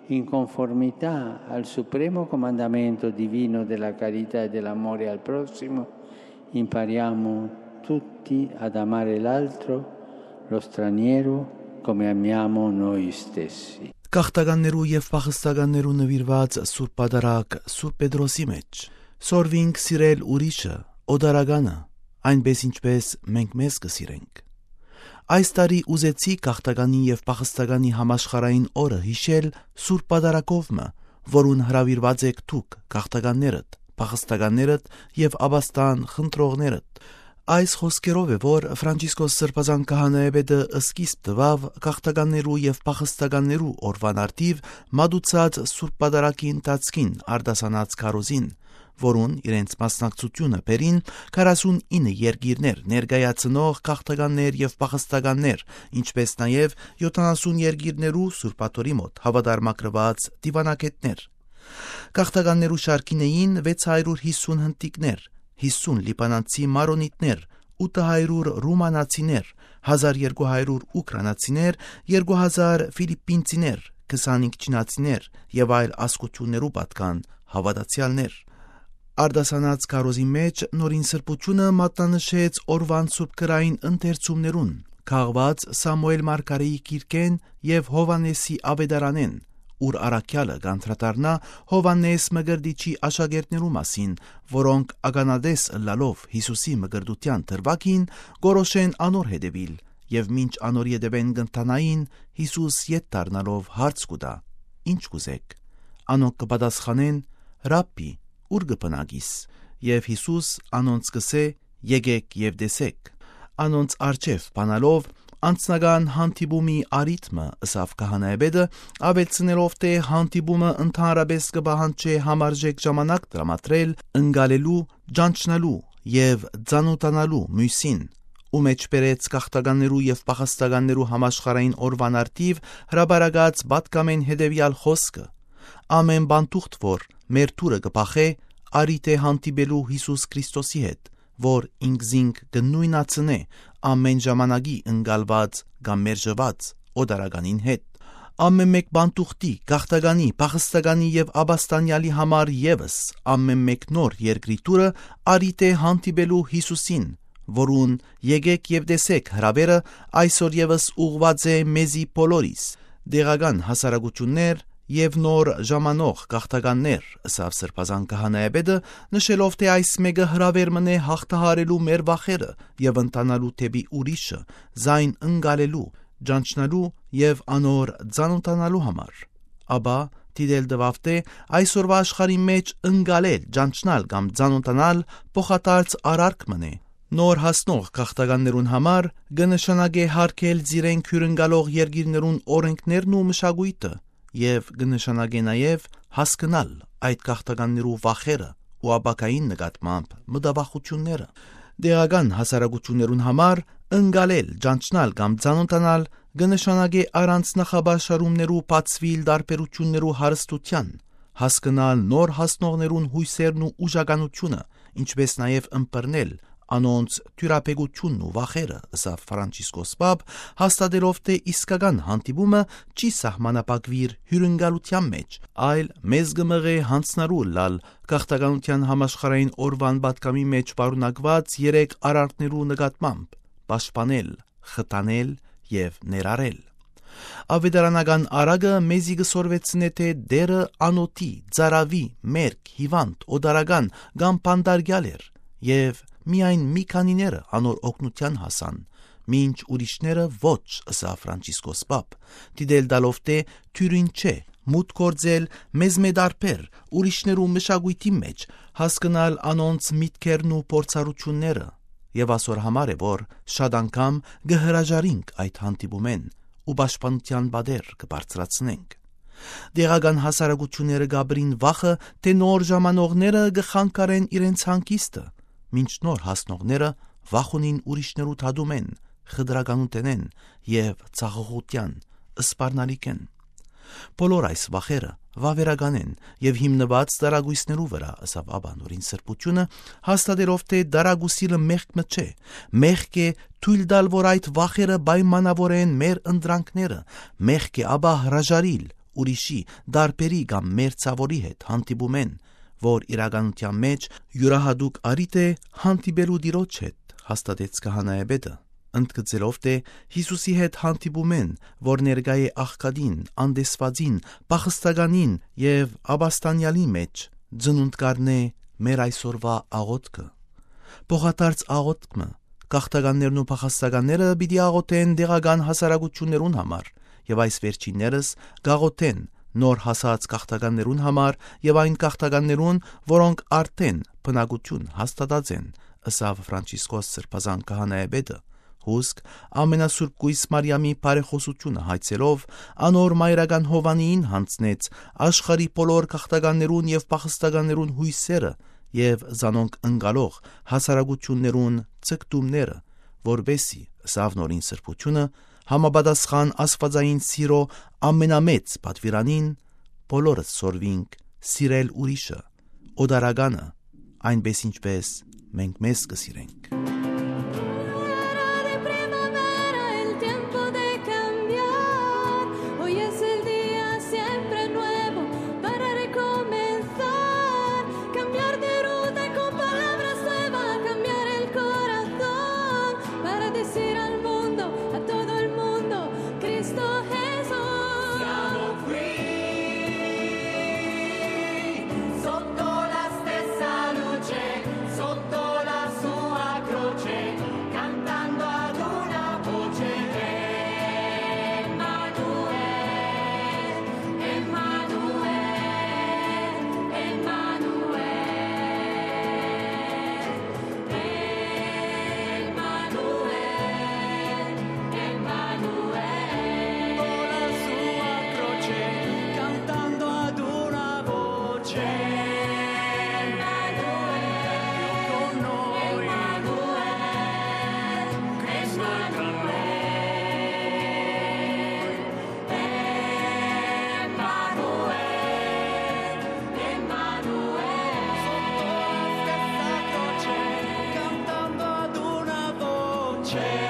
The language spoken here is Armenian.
in conformità al supremo comandamento divino della carità e dell'amore al prossimo, impariamo tutti ad amare l'altro, lo straniero, come amiamo noi stessi. Կախտականներու եւ փախստականներու նվիրված Սուրբ Պատարագ Սուրբ Պետրոսի մեջ սորվինք սիրել ուրիշը, օդարագանը, այնպես ինչպես մենք մեզ կսիրենք։ Այս տարի ուզեցի կախտականի եւ փախստականի համաշխարհային օրը հիշել Սուրբ Պատարագովը, որուն հրավիրված եք դուք կախտականներդ, փախստականներդ եւ աբաստան խնդրողներդ։ Այս խոսքերով է, որ Ֆրանցիսկոս Սրբազան քահանայապետը սկիզբ տվավ կախտականներու եւ փախստականներու օրվան արդիվ մատուցած Սուրբ Պատարագի ընթացքին արդասանած քարոզին, որուն իրենց մասնակցությունը բերին 49 երկիրներ ներկայացնող կախտականներ եւ փախստականներ, ինչպես նաեւ 70 երկիրներու Սուրբաթորի մոտ հավատարմագրված դիվանագետներ։ Կախտականներու շարքին էին 650 հնդիկներ, 50 լիբանանցի մարոնիտներ, 800 ռումանացիներ, 1200 ուկրաինացիներ, 2000 ֆիլիպինցիներ, 25 չինացիներ եւ այլ ազգություններու պատկան հավատացյալներ։ Արդասանած քարոզի մեջ նորին սրբությունը մատնանշեց օրվան սուրբկրային ընթերցումներուն, քաղված Սամուել Մարգարեի գիրքեն եւ Հովանեսի ավետարանեն, ուր առաքյալը գանտրատարնա Հովանես Մգրդիչի աշակերտներու մասին, որոնք ականադես լալով Հիսուսի մգրդության դրվագին գորոշեն անոր հետևիլ եւ մինչ անոր ետևեն գտնանային Հիսուս ետ դառնալով հարց կուտա. Ինչ կուզեք։ Անոնք կպատասխանեն. Ռաբբի, ուր գտնագիս։ Եվ Հիսուս անոնց կսե. Եկեք եւ տեսեք։ Անոնց արջև բանալով անցնական հանդիպումի արիթմը ըսավ քահանայապետը, ավելցնելով թե հանդիպումը ընդհանրապես կբահանջի համարժեք ժամանակ տրամադրել ընկալելու, ճանչնալու եւ ծանոթանալու մյուսին, ու մեջ բերեց կախտականներու եւ փախստականներու համաշխարհային օրվան արդիվ հրաբարակած պատկամեն հետեւյալ խոսքը. ամեն բան թուղթ որ մեր թուրը կփախե արիթե հանդիպելու Հիսուս Քրիստոսի հետ, որ ինքզինք կնույնացնե ամեն ժամանակի ընկալված կամ մերժված օդարականին հետ։ Ամեն մեկ բանտուղտի, կախտականի, փախստականի եւ աբաստանյալի համար եւս ամեն մեկ նոր երկրի տուրը արիթե հանդիպելու Հիսուսին, որուն եկեք եւ տեսեք հրավերը այսօր եւս ուղված է մեզի բոլորիս, դեղական հասարակություններ եւ նոր ժամանող կախտականներ, ըսավ Սրբազան քահանայապետը, նշելով թե այս մեկը հրավեր մնե հաղթահարելու մեր վախերը եւ ընտանալու թեպի ուրիշը, զայն ընկալելու, ճանչնալու եւ անոր ծանոթանալու համար։ Աբա դիտել դվավ թե այսօրվա աշխարհի մեջ ընկալել, ճանչնալ կամ ծանոթանալ փոխադարձ արարք մնե։ Նոր հասնող կախտականներուն համար կնշանակե հարգել զիրենք հյուրընկալող երկիրներուն օրենքներն ու մշակույթը եւ կնշանակե նաեւ հասկանալ այդ կախտականներու վախերը ու ապակային նկատմամբ մտավախությունները։ Դեղական հասարակություններուն համար ընկալել, ճանչնալ կամ ծանոթանալ կնշանակե առանց նախաբաշարումներու բացվիլ տարբերություններու հարստության, հասկանալ նոր հասնողներուն հույսերն ու ուժականությունը, ինչպես նաեւ ըմբռնել անոնց թյուրապեգությունն ու վախերը, ըսավ Ֆրանցիսկոս Պապ, հաստատելով թե իսկական հանդիպումը չի սահմանապակվիր հյուրընկալության մեջ, այլ մեզ կմղե հանցնարու լալ կախտականության համաշխարհային օրվան պատկամի մեջ պարունակված 3 արարքներու նկատմամբ՝ պաշտպանել, խտանել եւ ներառել։ Ավետարանական արագը մեզի կսորվեցնե թե դերը անոթի, ծարավի, մերկ, հիվանդ, օդարական կամ բանդարգյալ էր եւ միայն մի քանիները անոր օգնության հասան, մինչ ուրիշները ոչ, ըսավ Ֆրանցիսկոս Պապ, դիտել դալով թե թյուրին չէ, մուտք գործել մեզ մեդարբեր ուրիշներու մշակույթի մեջ, հասկանալ անոնց միտքերն ու փորձառությունները, եւ ասոր համար է, որ շատ անգամ կհրաժարինք այդ հանդիպումեն ու պաշտպանության բادر կբարձրացնենք։ Դեղական հասարակությունները գաբրին վախը, թե նոր ժամանողները կխանգարեն իրենց հանգիստը, մինչ նոր հասնողները վախունին ուրիշներու թադում են, խդրականութեն եւ ցաղողության սպառնալիքեն։ Բոլոր այս վախերը վավերական են եւ հիմնված դարագույսներու վրա, ըսավ Աբանորին սրբությունը, հաստատելով թե դարագուսիլը մեղքը չէ, մեղք է թույլ տալ, որ այդ վախերը պայմանավորեն մեր ընտրանքները, մեղք է ապա հրաժարիլ ուրիշի, դարբերի կամ մերձավորի հետ հանդիպում են, որ իրականության մեջ յուրահատուկ արիտ է հանդիպելու Տիրոջ հետ, հաստատեց քահանայապետը, ընդգծելով թե Հիսուսի հետ հանդիպում են, որ ներկա է աղքատին, անտեսվածին, փախստականին եւ ապաստանյալի մեջ, ծնունդ կառնե մեր այսօրվա աղոթքը։ Փոխադարձ աղոթքը գաղթականներն ու փախստականները պիտի աղոթեն դեղական հասարակություններուն համար եւ այս վերջիններս գաղոթեն նոր հասած գաղթականներուն համար եւ այն գաղթականներուն, որոնք արդեն բնակություն հաստատած են, ըսավ Ֆրանցիսկոս Սրբազան քահանայապետը, հուսք ամենասուրբ Կույս Մարիամի բարեխոսությունը հայցելով անոր մայրական Հովանիին հանձնեց աշխարհի բոլոր գաղթականներուն եւ փախստականներուն հույսերը եւ զանոնք ընկալող հասարակություններուն ցկտումները, որբեսի ըսավ նորին սրբությունը համապատասխան աստվածային սիրո ամենամեծ պատվիրանին բոլորս սորվինք սիրել ուրիշը, օդարականը, այնպես ինչպես մենք մեզ կսիրենք։ C'è